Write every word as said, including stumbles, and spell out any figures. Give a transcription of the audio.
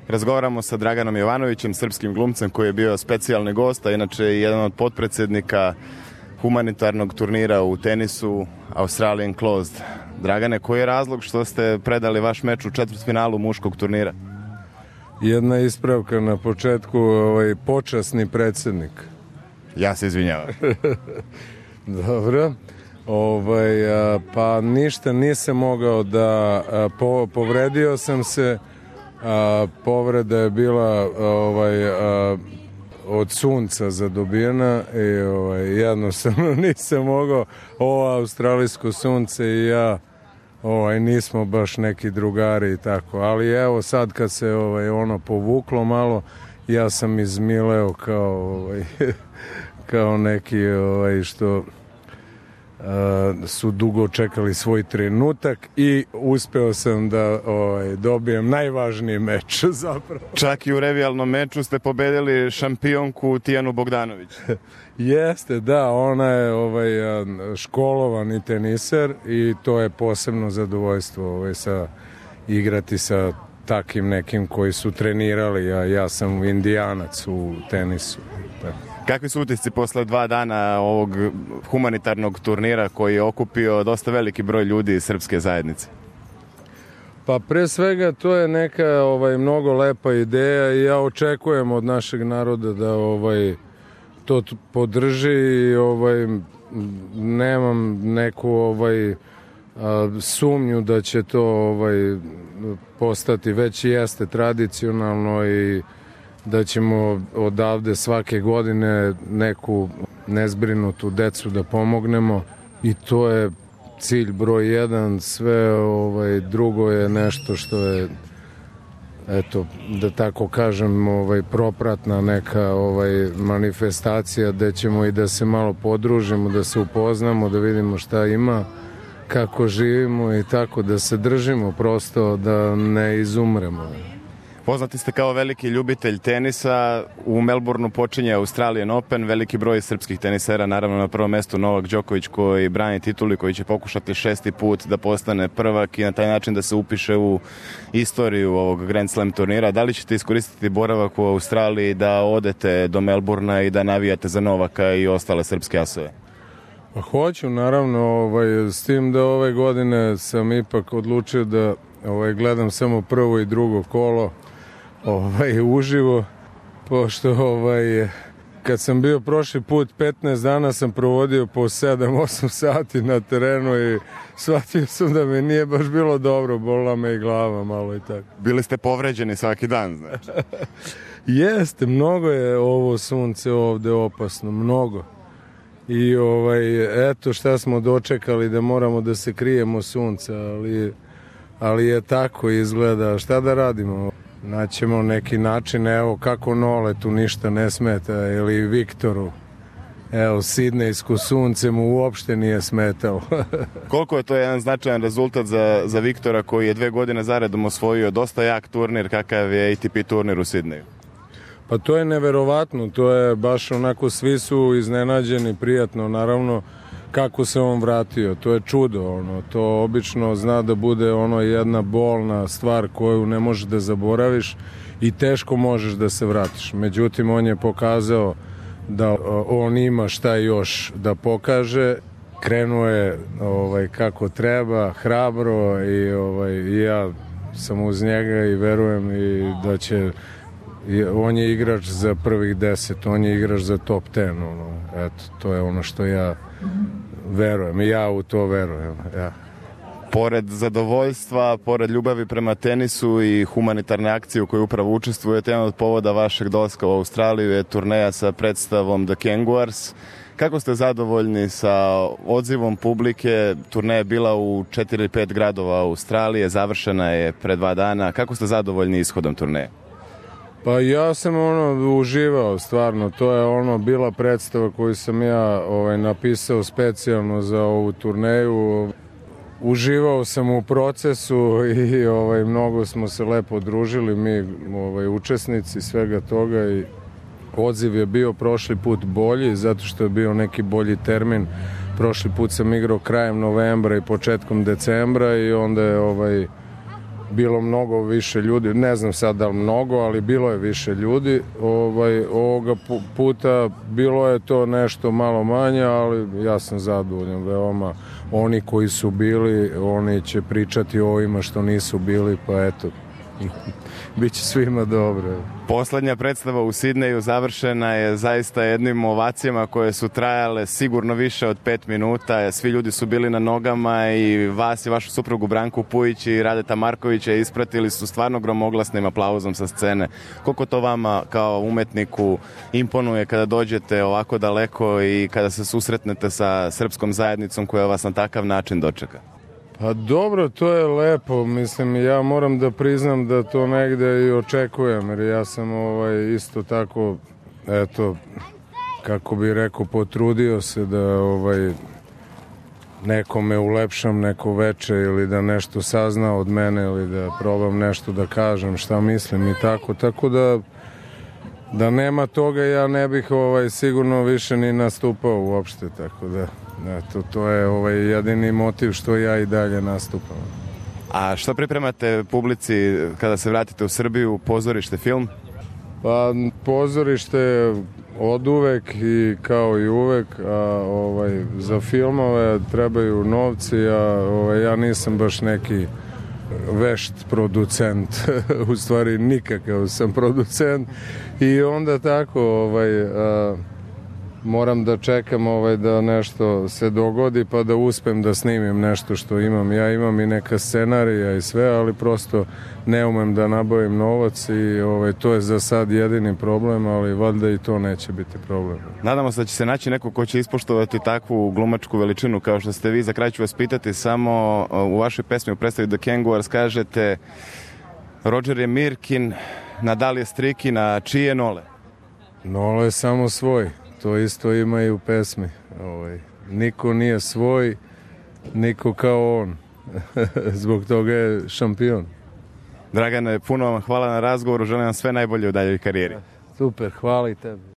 Razgovaramo sa Draganom Jovanovićem, srpskim glumcem koji je bio specijalni gost, a inače jedan od potpredsednika humanitarnog turnira u tenisu Australian Closed. Dragane, koji je razlog što ste predali vaš meč u četvrtfinalu muškog turnira? Jedna ispravka na početku, ovaj, počasni predsednik. Ja se izvinjavam. Dobro. Ovaj, a, pa ništa, nisam mogao da a, po, povredio sam se, a, povreda je bila ovaj, a, od sunca zadobijena i ovaj, jednostavno nisam mogao, ovo australijsko sunce i ja ovaj, nismo baš neki drugari i tako, ali evo sad kad se ovaj, ono povuklo malo, ja sam izmileo kao, ovaj, kao neki ovaj, što Uh, su dugo čekali svoj trenutak i uspeo sam da ovaj, dobijem najvažniji meč zapravo. Čak i u revijalnom meču ste pobedili šampionku Tijanu Bogdanović. Jeste, da, ona je ovaj, školovani teniser i to je posebno zadovoljstvo ovaj, sa, igrati sa takim nekim koji su trenirali, a ja sam indijanac u tenisu. Tako. Kakvi su utisci posle dva dana ovog humanitarnog turnira koji je okupio dosta veliki broj ljudi iz srpske zajednice? Pa pre svega to je neka ovaj, mnogo lepa ideja i ja očekujem od našeg naroda da ovaj, to podrži i ovaj, nemam neku ovaj, a, sumnju da će to ovaj, postati, već jeste tradicionalno i da ćemo odavde svake godine neku nezbrinutu decu da pomognemo i to je cilj broj jedan, sve ovaj, drugo je nešto što je, eto, da tako kažem, ovaj, propratna neka ovaj, manifestacija gde ćemo i da se malo podružimo, da se upoznamo, da vidimo šta ima, kako živimo i tako, da se držimo prosto, da ne izumremo. Poznati ste kao veliki ljubitelj tenisa, u Melbourneu počinje Australian Open, veliki broj srpskih tenisera, naravno na prvom mestu Novak Đoković koji brani titulu i koji će pokušati šesti put da postane prvak i na taj način da se upiše u istoriju ovog Grand Slam turnira. Da li ćete iskoristiti boravak u Australiji da odete do Melbournea i da navijate za Novaka i ostale srpske asove? Pa hoću, naravno, ovaj, s tim da ove godine sam ipak odlučio da ovaj, gledam samo prvo i drugo kolo ovaj, uživo, pošto ovaj, kad sam bio prošli put petnaest dana sam provodio po sedam osam sati na terenu i shvatio sam da mi nije baš bilo dobro, bolila me i glava malo i tako. Bili ste povređeni svaki dan, znači? Jeste, mnogo je ovo sunce ovde opasno, mnogo. I ovaj, eto šta smo dočekali da moramo da se krijemo sunca, ali, ali je tako izgleda, šta da radimo? Naćemo neki način, evo kako Noletu ništa ne smeta, ili Viktoru. Evo, sidnejsko sunce mu uopšte nije smetalo. Koliko je to jedan značajan rezultat za, za Viktora koji je dve godine zaredom osvojio dosta jak turnir kakav je A T P turnir u Sidneju? Pa to je neverovatno, to je baš onako, svi su iznenađeni, prijatno, naravno, kako se on vratio, to je čudo, ono, to obično zna da bude ono jedna bolna stvar koju ne možeš da zaboraviš i teško možeš da se vratiš. Međutim, on je pokazao da on ima šta još da pokaže, krenuo je ovaj, kako treba, hrabro i ovaj, ja sam uz njega i verujem i da će, on je igrač za prvih deset, on je igrač za top ten, ono, eto, to je ono što ja verujem i ja u to verujem, ja. Pored zadovoljstva, pored ljubavi prema tenisu i humanitarne akcije u kojoj upravo učestvujete, jedan od povoda vašeg dolaska u Australiju je turneja sa predstavom The Kangaroos. Kako ste zadovoljni sa odzivom publike? Turneja je bila u četiri ili pet gradova Australije, završena je pre dva dana. Kako ste zadovoljni ishodom turneje? Pa ja sam ono uživao, stvarno, to je ono bila predstava koju sam ja ovaj, napisao specijalno za ovu turneju. Uživao sam u procesu i ovaj, mnogo smo se lepo družili, mi ovaj, učesnici svega toga i odziv je bio prošli put bolji zato što je bio neki bolji termin. Prošli put sam igrao krajem novembra i početkom decembra i onda je ovaj, bilo mnogo više ljudi, ne znam sad da li mnogo, ali bilo je više ljudi. Ovaj, ovoga puta bilo je to nešto malo manje, ali ja sam zadovoljan veoma. Oni koji su bili, oni će pričati o ovima što nisu bili, pa eto, biće svima dobro. Poslednja predstava u Sidneju završena je zaista jednim ovacijama koje su trajale sigurno više od pet minuta. Svi ljudi su bili na nogama i vas i vašu suprugu Branku Pujić i Radeta Markovića ispratili su stvarno gromoglasnim aplauzom sa scene. Koliko to vama kao umetniku imponuje kada dođete ovako daleko i kada se susretnete sa srpskom zajednicom koja vas na takav način dočeka? Pa dobro, to je lepo, mislim, ja moram da priznam da to negde i očekujem, jer ja sam ovaj, isto tako, eto, kako bi rekao, potrudio se da ovaj, nekome ulepšam neko veče ili da nešto sazna od mene ili da probam nešto da kažem šta mislim i tako, tako da da nema toga ja ne bih ovaj, sigurno više ni nastupao uopšte, tako da eto, to je ovaj, jedini motiv što ja i dalje nastupam. A što pripremate publici kada se vratite u Srbiju, pozorište, film? Pa pozorište od uvek i kao i uvek, a ovaj, za filmove trebaju novci, a ovaj, ja nisam baš neki vešt producent, u stvari nikakav sam producent i onda tako ovaj, a, moram da čekam ovaj, da nešto se dogodi pa da uspem da snimim nešto što imam. Ja imam i neka scenarija i sve, ali prosto ne umem da nabavim novac i ovaj, to je za sad jedini problem, ali valjda i to neće biti problem. Nadamo se da će se naći neko ko će ispoštovati takvu glumačku veličinu kao što ste vi. Za kraj ću vas pitati samo u vašoj pesmi u predstavi The Kangaroos kažete Roger je Mirkin, Nadal je Strikin, a čiji je Nole? Nole je samo svoj. To isto ima i u pesmi. Ovaj, niko nije svoj, niko kao on. Zbog toga je šampion. Dragane, puno vam hvala na razgovoru. Želim vam sve najbolje u daljoj karijeri. Super, hvala i tebi.